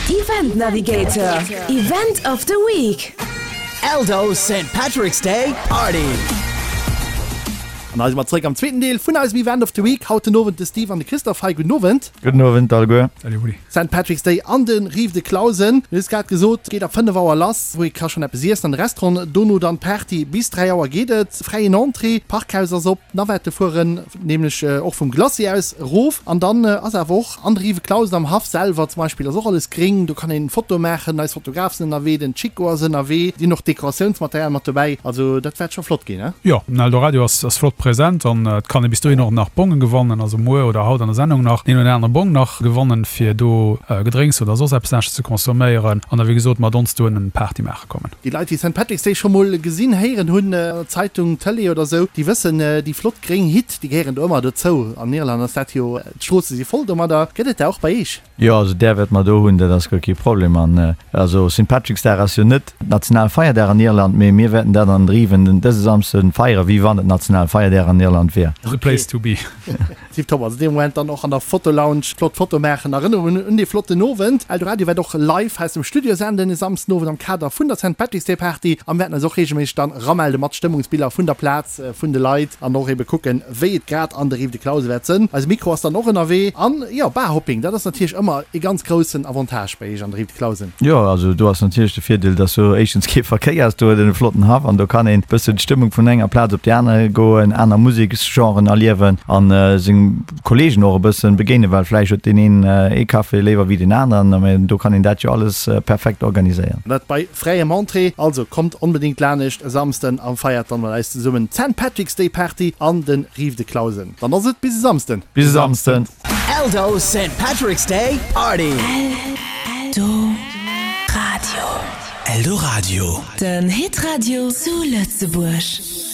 Event Navigator, Event of the Week. Eldo Saint Patrick's Day Party. An hei si mer zréck am zweeten Deel vun eisem Event of the Week. Haut den Owend de Steve an de Christophe hei. Gudden Owend. Gudden Owend alleguer. Salut Rudi. Saint Patrick's Day an de Rives de Clausen. Mir hu grad gesot, geet ab 5 Auer lass, wou ee ka schonn eppes iessen an de Restaurant. Dono dann d'Party, bis 3 Auer geet et. Fräien Entrée, d'Parkhaus ass op, d'Navette fueren nämlech och vum Glacis aus erof. An dann ass awer och an de Rives Clausen am Haff selwer zum Beispill ass och alles gréng, do kann een Fotoe maachen. Eis Fotograf sinn ënnerwee, den Chico ass ënnerwee, si hunn och Dekoratiounsmaterial mat dobäi. Also dat wäert scho flott ginn, he? Jo, den Eldoradio ass flott present an et kann ee bis dohin och nach Bonge gewannen, also muer oder haut an der Sendung nach deen oder anere Bong nach gewannen, fir do Gedrénks oder soss eppes anesches ze consomméieren an da wéi gesot mat ons do en Party maache kommen. Déi Leit, déi Saint Patrick's Day scho mol gesinn, héieren hunn, an der Zeitung, Tëlee oder sou, déi wëssen, déi flott gréng Hitt, déi gehéieren do ëmmer dozou. An Irland ass dat jo, d'Stroosse si voll domadder. Gëtt et der och bei Eech? Jo, also där wäerte mer do hunn, dat ass guer kee Problem. An also Saint Patrick's Dag ass jo net nationale Feierdag an Irland, mee mir wäerten dat an Riven den dëse Samsde feieren, wéi wann et nationale Feierdag an Irland wier. The place to be. Tiptop, also dee Moment dann och an der Fotolounge flott Foto maachen, Erënnerungen un dee flotten Owend. Eldoradio wäert och live aus dem Studio senden e Samsden Owend am Kader vun der Saint Patrick's Day Party a mir wäerten eis och reegelméisseg dann eramelde mat Stëmmungsbiller vun der Plaz, vun de Leit an och ebe kucken, wéi et grad an der Rive de Clause wäert sënn. Eise Mikro ass dann och ënnerwee. An jo, Barhopping, dat ass natierlech ëmmer e ganz groussen Avantage bei Eech an der Rive de Clausen. Jo, also do ass natierlech de Virdeel, dass do éischtens kee Verkéier ass, do huet een e flotten Haff an do kann een e bëssen d'Stëmmung vun enger Plaz op déi aner goen, aner Museksgenren erliewen an seng Kollegen och e bëssen begéinen, well vläicht huet deen een ee Café léiwer wéi deen aneren, mä do kann een dat jo alles perfekt organiséieren. Dat bei fräiem Entrée, also kommt onbedéngt lanescht e Samsden an feiert dann mat eis zesummen d'Saint Patrick's Day Party an den Rives de Clausen. Dann ass et bis e Samsden. Bis e Samsden. Eldo Saint Patrick's Day Party. Eldoradio. Eldoradio. Den Hitradio zu Lëtzebuerg.